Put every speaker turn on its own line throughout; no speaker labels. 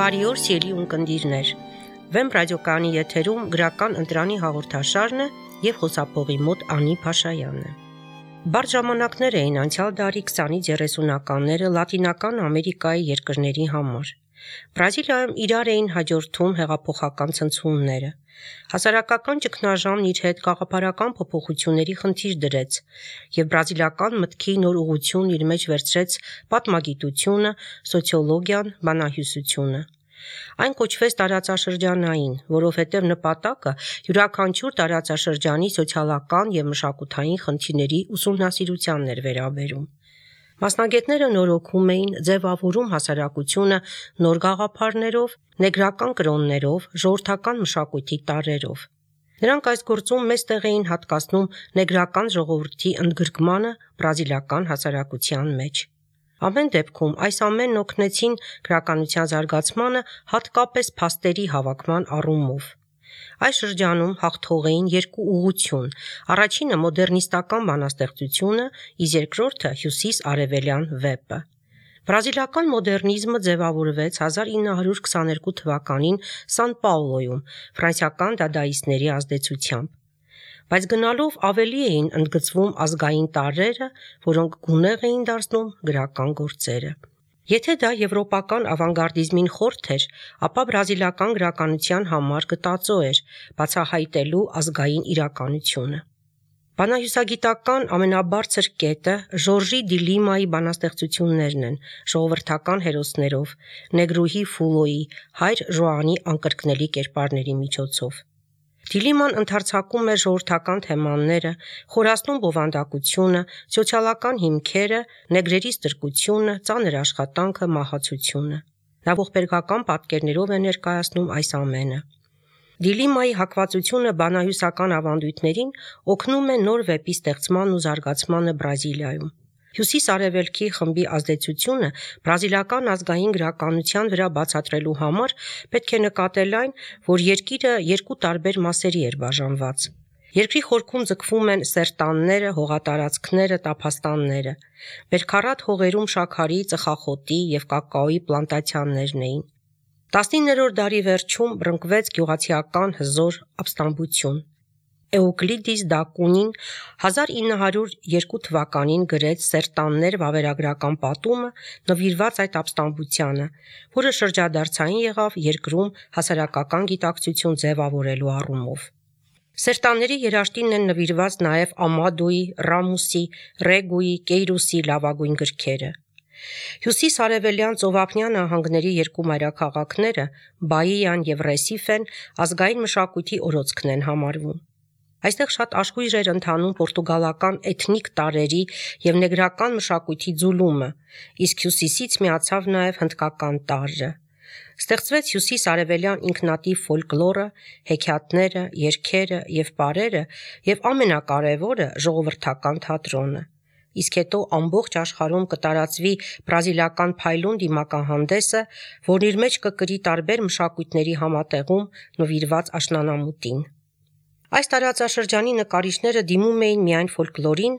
Բարի օր, սիրելի ունկնդիրներ։ Վեմ ռադիոկայանի եթերում գրական ընտրանի հաղորդաշարն է եւ խոսափողի մոտ Անի Փաշայանն է։ Բարդ ժամանակներ էին անցյալ դարի 20-ից 30-ականները Լատինական Ամերիկայի երկրների համար։ Բրազիլիայում իրար էին հաջորդում հեղափոխական ցնցումները։ Հասարակական ճգնաժամն իր հետ գաղափարական փոփոխությունների խնդիր դրեց, եւ բրազիլական մտքի նոր ուղղություն իր մեջ վերցրեց պատմագիտությունը, սոցիոլոգիան, բանահյուսությունը։ Այն կոչվեց տարածաշրջանային, որովհետև նպատակը յուրաքանչյուր տարածաշրջանի սոցիալական եւ մշակութային խնդիրների ուսումնասիրությանն էր վերաբերում։ Մասնագետները նորոգում էին, ձևավորում հասարակությունը նոր գաղափարներով, նեգրական կրոններով, ժողովրդական մշակույթի տարրերով։ Նրանք այս գործում մեծ տեղ էին հատկացնում նեգրական ժողովրդի ընդգրկմանը բրազիլական հասարակության մեջ։ Ամեն դեպքում այս ամենն օգնեցին գրականության զարգացմանը, հատկապես փաստերի հավաքման առումով։ Այս շրջանում հաղթող էին երկու ուղղություն. առաջինը մոդեռնիստական բանաստեղծությունը, իսկ երկրորդը հյուսիս-արևելյան վեպը։ Բրազիլական մոդեռնիզմը ձևավորվեց 1922 թվականին Սան Պաուլոյում ֆրանսիական դադաիստների ազդեցությամբ։ Բայց գնալով ավելի էին ընդգծվում ազգային տարրերը, որոնք գունեղ էին դարձնում գրական գործերը։ Եթե դա եվրոպական ավանգարդիզմին խորթ էր, ապա բրազիլական գրականության համար գտածո էր բացահայտելու ազգային իրականությունը։ Բանահյուսագիտական ամենաբարձր կետը Ժորժի դի Լիմայի բանաստեղծություններն են ժողովրդական հերոսներով, Նեգրուհի Ֆուլոյի, հայր Ժոանի անկրկնելի կերպարների միջոցով։ Դիլիման ընդարձակում է ժողովրդական թեմաները, խորացնում բովանդակությունը, սոցիալական հիմքերը, նեգրերի ստրկությունը, ծանր աշխատանքը, մահացությունը։ Նա ողբերգական պատկերներով է ներկայացնում այս ամենը։ Դիլիմայի հակվածությունը բանահյուսական ավանդույթներին օգնում է նոր վեպի ստեղծման ու զարգացմանը Բրազիլիայում։ Հյուսիս-արևելքի խմբի ազդեցությունը բրազիլական ազգային գրականության վրա բացատրելու համար պետք է նկատել այն, որ երկիրը երկու տարբեր մասերի էր բաժանված։ Երկրի խորքում ձգվում են սերտանները, հողատարածքները, տափաստանները։ Բերքարատ հողերում շաքարի, ծխախոտի եւ կակաոյի պլանտացիաներն էին։ 19-րդ դարի վերջում բռնկվեց գյուղացիական հզոր ապստամբություն։ Էուկլիդիս դա Կունին 1902 թվականին գրեց «Սերտաններ» վավերագրական պատումը, նվիրված այդ ապստամբությանը, որը շրջադարձային եղավ երկրում հասարակական գիտակցություն ձևավորելու առումով։ Սերտանների երաշտին են նվիրված նաև Ամադոյի, Ռամուսի, Ռեգուի, Կեյրուսի լավագույն գրքերը։ Հյուսիս-արևելյան ծովափնյա նահանգների երկու մայրաքաղաքները՝ Բաիան եւ Ռեսիֆեն ազգային մշակույթի օրոցքն են համարվում։ Այստեղ շատ աշխույժ էր ընթանում պորտուգալական էթնիկ տարրերի եւ նեգրական մշակույթի ձուլումը, իսկ հյուսիսից միացավ նաեւ հնդկական տարրը։ Ստեղծվեց հյուսիս-արևելյան ինքնատիպ ֆոլկլորը, հեքիաթները, երգերը եւ պարերը եւ ամենակարևորը ժողովրդական թատրոնը։ Իսկ հետո ամբողջ աշխարհում կտարածվի բրազիլական փայլուն դիմակահանդեսը, որն իր մեջ կկրի տարբեր մշակույթների համատեղում նվիրված աշնանամուտին։ Այս տարածաշրջանի նկարիչները դիմում էին միայն ֆոլկլորին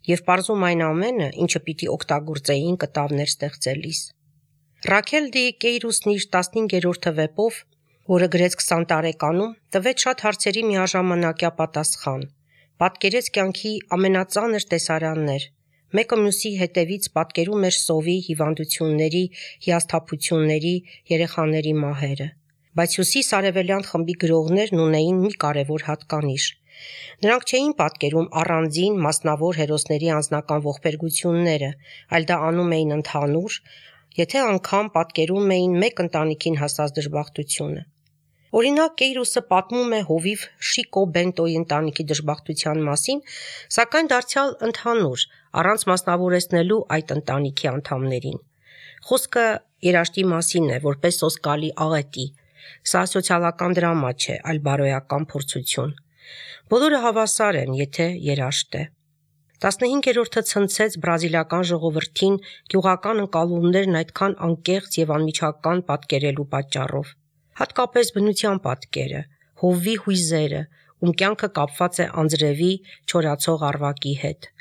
եւ պարզում այն ամենը, ինչը պիտի օգտագործեին կտավներ ստեղծելիս։ Ռաքել դի Կեյրուսն իր 15-րդ վեպով, որը գրեց 20 տարեկանում, տվեց շատ հարցերի միաժամանակյա պատասխան։ Պատկերեց կյանքի ամենածանր տեսարաններ։ Մեկը մյուսի հետևից պատկերում էր սովի, հիվանդությունների, հիասթափությունների, երեխաների մահերը։ Բայց հյուսիս-արևելյան խմբի գրողներն ունեին մի կարևոր հատկանիշ։ Նրանք չէին պատկերում առանձին մասնավոր հերոսների անձնական ողբերգությունները, այլ դա անում էին ընդհանուր, եթե անգամ պատկերում էին մեկ ընտանիքին հասած դժբախտությունը։ Օրինակ Կեյրուսը պատմում է հովիվ Շիկո Բենտոյի ընտանիքի դժբախտության մասին, սակայն դարձյալ ընդհանուր, առանց մասնավորեցնելու այդ ընտանիքի անդամներին։ Խոսքը երաշտի մասին է, որպես սոսկալի աղետի։ Սա սոցիալական դրամա չէ, այլ բարոյական փորձություն։ Բոլորը հավասար են, եթե երաշտ է։ 15-րդը ցնցեց բրազիլական ժողովրդին գյուղական ընկալումներն այդքան անկեղծ եւ անմիջական պատկերելու պատճառով։ Հատկապես բնության պատկերը, հովվի հույզերը, ում կյանքը կապված է անձրևի չորացող առվակի հետ։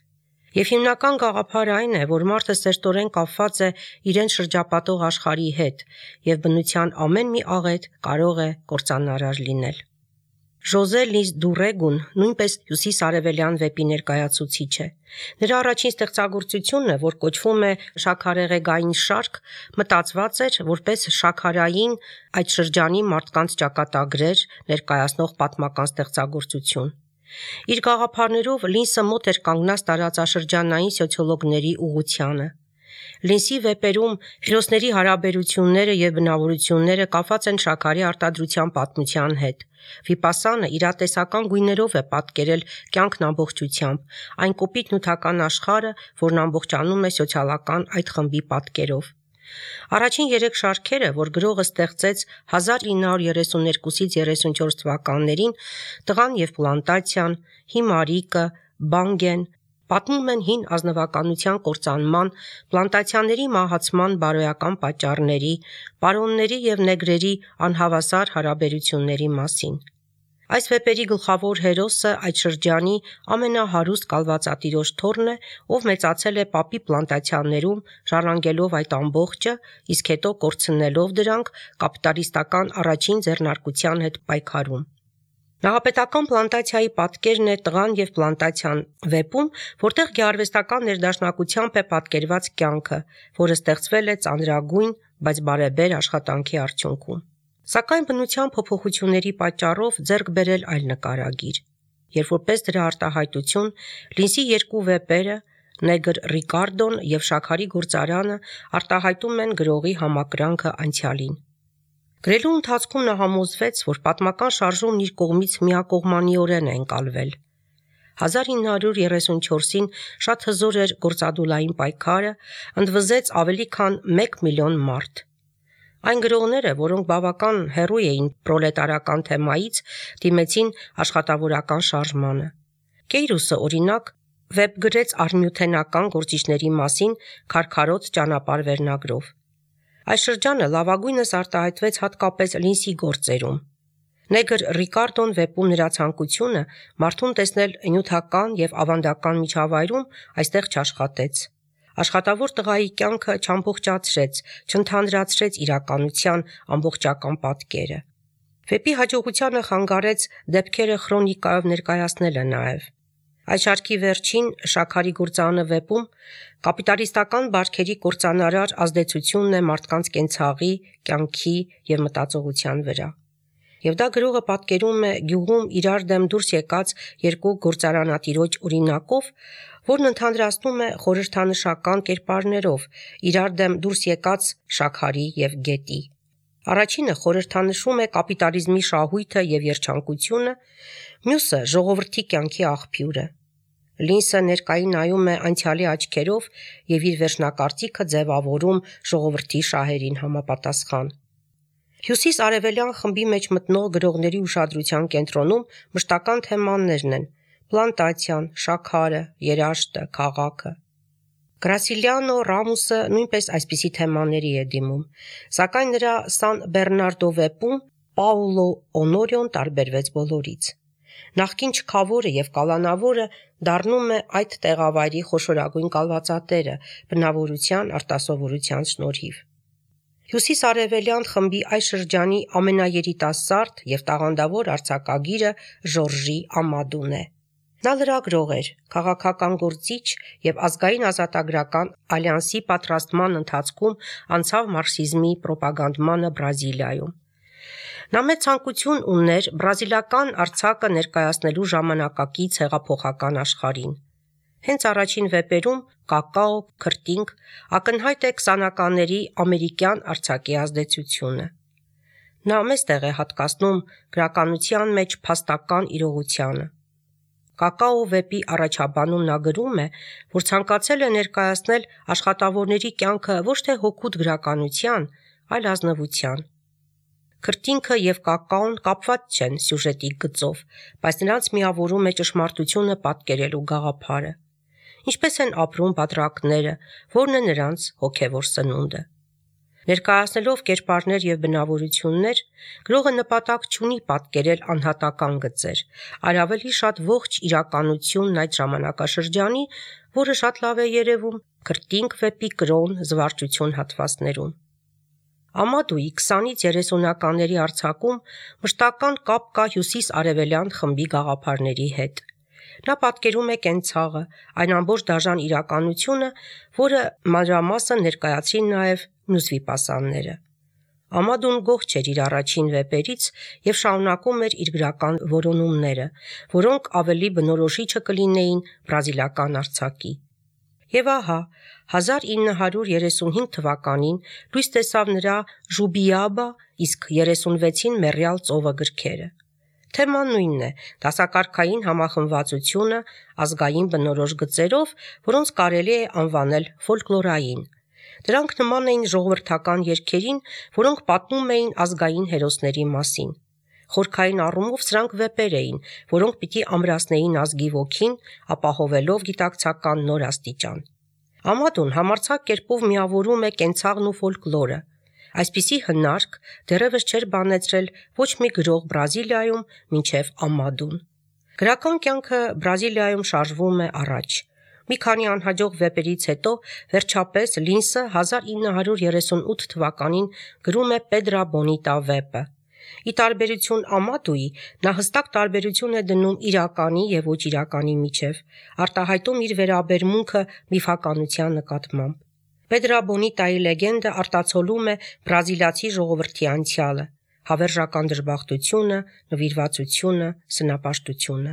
Եվ հիմնական գաղափարը այն է, որ մարդը սերտորեն կապված է իրեն շրջապատող աշխարհի հետ, եւ բնության ամեն մի աղետ կարող է կործանարար լինել։ Ժոզե Լիս Դուրեգուն նույնպես հյուսիս-արևելյան վեպի ներկայացուցիչ է։ Նրա առաջին ստեղծագործությունը, որ կոչվում է Շաքարեղեգային շարք, մտածված էր որպես շաքարային այդ շրջանի մարդկանց ճակատագրեր ներկայացնող պատմական ստեղծագործություն։ Իր գաղափարներով Լինսը մոտ էր կանգնած տարածաշրջանային սոցիոլոգների ուղղությանը։ Լինսի վեպերում հերոսների հարաբերությունները եւ բնավորությունները կապված են շաքարի արտադրության պատմության հետ։ Վիպասանը իրատեսական գույներով է պատկերել կյանքն ամբողջությամբ, այն կոպիտ նյութական աշխարհը, որն ամբողջանում է սոցիալական այդ խմբի պատկերով։ Առաջին 3 շարքերը, որ գրողը ստեղծեց 1932-34 թվականներին, Տղան եւ պլանտացիան, Հիմարիկը, Բանգեն, պատմում են հին ազնվականության կործանման, պլանտացիաների մահացման բարոյական պատճառների, պարոնների եւ նեգրերի անհավասար հարաբերությունների մասին։ Այս վեպերի գլխավոր հերոսը այդ շրջանի ամենահարուստ կալվածատիրոջ թոռն է, ով մեծացել է պապի պլանտացիաներում, ժառանգելով այդ ամբողջը, իսկ հետո կորցնելով դրանք կապիտալիստական առաջին ձեռնարկության հետ պայքարում։ Նախապետական պլանտացիայի պատկերն է Տղան եւ պլանտացիան վեպում, որտեղ գեղարվեստական ներդաշնակությամբ է պատկերված կյանքը, որը ստեղծվել է ծանրագույն, բայց բարեբեր աշխատանքի արդյունքում։ Սակայն բնության փոփոխությունների պատճառով ձեռք բերել այլ նկարագիր, երբ որպես դրա արտահայտություն Լինսի 2 վեպերը Նեգր Ռիկարդոն եւ Շաքարի գործարանը արտահայտում են գրողի համակրանքը անցյալին։ Գրելու ընթացքում նա համոզվեց, որ պատմական շարժումն իր կողմից միակողմանիորեն է ընկալվել։ 1934-ին շատ հզոր էր գործադուլային պայքարը, ընդվզեց ավելի քան 1 միլիոն մարդ։ Այն գրողները, որոնք բավական հեռու էին պրոլետարական թեմայից, դիմեցին աշխատավորական շարժմանը։ Կեյրուսը, օրինակ, վեպ գրեց արմյութենական գործիչների մասին Քարքարոտ ճանապարհ վերնագրով։ Այս շրջանը լավագույնս արտահայտվեց հատկապես Լինսի գործերում։ Նեգր Ռիկարդոն վեպում նրա ցանկությունը մարդուն տեսնել նյութական եւ ավանդական միջավայրում այստեղ չաշխատեց։ Աշխատավոր տղայի կյանքը չամբողջացրեց, չընդհանրացրեց իրականության ամբողջական պատկերը։ Վեպի հաջողությանը խանգարեց դեպքերը քրոնիկայով ներկայացնելը նաև։ Այս շարքի վերջին Շաքարի գործարանը վեպում կապիտալիստական բարքերի կործանարար ազդեցությունն է մարդկանց կենցաղի, կյանքի եւ մտածողության վրա։ Եվ դա գրողը պատկերում է գյուղում իրար դեմ դուրս եկած 2 գործարանատիրոջ օրինակով, որն ընդհանրացնում է խորհրդանշական կերպարներով իրար դեմ դուրս եկած շաքարի եւ գետի։ Առաջինը խորհրդանշում է կապիտալիզմի շահույթը եւ երջանկությունը, մյուսը ժողովրդի կյանքի աղբյուրը։ Լինսը ներկային նայում է անցյալի աչքերով եւ իր վերջնակարծիքը ձևավորում ժողովրդի շահերին համապատասխան։ Հյուսիս-արևելյան խմբի մեջ մտնող գրողների ուշադրության կենտրոնում մշտական թեմաներն են՝ պլանտացիան, շաքարը, երաշտը, քաղաքը։ Գրասիլիանո Ռամուսը նույնպես այսպիսի թեմաների է դիմում, սակայն նրա Սան Բեռնարդո վեպում Պաուլո Օնորիոն տարբերվեց բոլորից։ Նախկին չքավորը եւ կալանավորը դառնում է այդ տեղավայրի խոշորագույն կալվածատերը բնավորության արտասովորության շնորհիվ։ Հյուսիս-արևելյան խմբի այս շրջանի ամենաերիտասարդ եւ տաղանդավոր արձակագիրը Ժորժի Ամադուն է։ Նա լրագրող էր, քաղաքական գործիչ եւ ազգային ազատագրական ալյանսի պատրաստման ընթացքում անցավ մարքսիզմի պրոպագանդմանը Բրազիլիայում։ Նա մեծ ցանկություն ուներ բրազիլական արձակը ներկայացնելու ժամանակակից հեղափոխական աշխարհին։ Հենց առաջին վեպերում Կակաո, քրտինք ակնհայտ է 20-ականների ամերիկյան արձակի ազդեցությունը։ Նա մեծ տեղ է հատկացնում գրականության մեջ փաստական իրողությանը։ Կակաո վեպի առաջաբանում նա գրում է, որ ցանկացել է ներկայացնել աշխատավորների կյանքը ոչ թե հօգուտ գրականության, այլ ազնվության։ Քրտինքը եւ կակաոն կապված չեն սյուժետի գծով, բայց նրանց միավորում է ճշմարտությունը պատկերելու գաղափարը։ Ինչպես են ապրում բادرակները, որն է նրանց հոգևոր սնունդը։ Ներկայացնելով կերպարներ եւ բնավորություններ, գրողը նպատակ չունի պատկերել անհատական գծեր, այլ ավելի շատ ողջ իրականությունն այդ ժամանակաշրջանի, որը շատ լավ է երևում քրտինք վեպի կրոն զվարճություն հատվածներում։ Ամադուի 20-ից 30-ականների արձակում մշտական կապ կա հյուսիս-արևելյան խմբի գաղափարների հետ։ Նա պատկերում է կենցաղը, այն ամբողջ դաժան իրականությունը, որը մանրամասն ներկայացրին նաև մյուս վիպասանները։ Ամադուն գոհ չէր իր առաջին վեպերից եւ շարունակում էր իր գրական որոնումները, որոնք ավելի բնորոշիչը կլինեին բրազիլական արձակի։ Եվ ահա 1935 թվականին լույս տեսավ նրա «Ժուբիաբա», իսկ 36-ին «Մեռյալ ծովը» գրքերը։ Թեման նույնն է՝ դասակարգային համախմբվածությունը ազգային բնորոշ գծերով, որոնց կարելի է անվանել ֆոլկլորային։ Դրանք նման էին ժողովրդական երգերին, որոնք պատմում էին ազգային հերոսների մասին։ Խորքային առումով սրանք վեպեր էին, որոնք պիտի ամրացնեին ազգի ոգին, ապահովելով գիտակցական նոր աստիճան։ Ամադուն համարձակ կերպով միավորում է կենցաղն ու ֆոլկլորը։ Այսպիսի հնարք դեռևս չէր բանեցրել ոչ մի գրող Բրազիլիայում մինչև Ամադուն։ Գրական կյանքը Բրազիլիայում շարժվում է առաջ։ Մի քանի անհաջող վեպերից հետո վերջապես Լինսը 1938 թվականին գրում է Պետրա Բոնիտա վեպը։ Ի տարբերություն Ամադուի, նա հստակ տարբերություն է դնում իրականի եւ ոչ իրականի միջև, արտահայտում իր վերաբերմունքը միֆականության նկատմամբ։ Պետրա Բոնիտայի լեգենդը արտացոլում է բրազիլացի ժողովրդի անցյալը, հավերժական դժբախտությունը, նվիրվածությունը, սնապաշտությունը։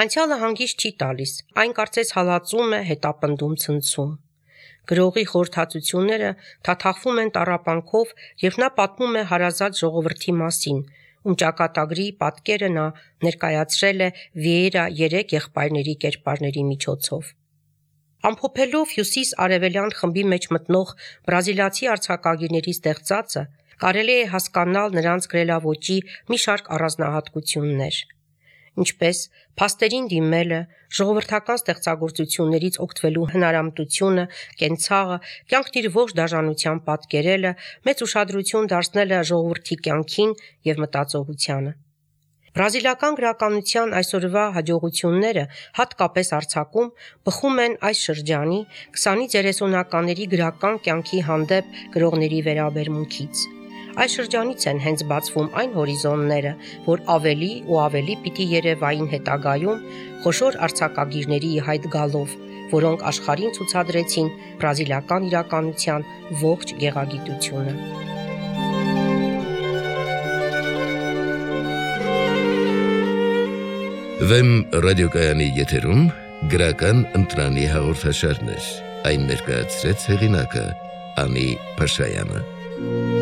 Անցյալը հանգիստ չի տալիս, այն կարծես հալածում է, հետապնդում, ցնցում։ Գրողի խորհրդածությունները թաթախվում են տառապանքով, եւ նա պատմում է հարազատ ժողովրդի մասին, ում ճակատագրի պատկերը նա ներկայացրել է Վիերա 3 եղբայրների կերպարների միջոցով։ Ամփոփելով հյուսիս-արևելյան խմբի մեջ մտնող բրազիլացի արձակագիրների ստեղծածը, կարելի է հասկանալ նրանց գրելաոճի մի շարք առանձնահատկություններ, ինչպես փաստերին դիմելը, ժողովրդական ստեղծագործություններից օգտվելու հնարամտությունը, կենցաղը, կյանքն իր ողջ դաժանությամբ պատկերելը, մեծ ուշադրություն դարձնելը ժողովրդի կյանքին եւ մտածողությանը։ Բրազիլական գրականության այսօրվա հաջողությունները, հատկապես արձակում, բխում են այս շրջանի 20-ից 30-ականների գրական կյանքի հանդեպ գրողների վերաբերմունքից։ Այս շրջանից են հենց բացվում այն հորիզոնները, որ ավելի ու ավելի պիտի երևային հետագայում խոշոր արձակագիրների հայտ գալով, որոնք աշխարհին ցուցադրեցին բրազիլական իրականության ողջ գեղագիտությունը։
Վեմ ռադիոկայանի եթերում գրական ընտրանի հաղորդաշարներ, այն ներկայացրեց հեղինակը Անի Փաշայանը։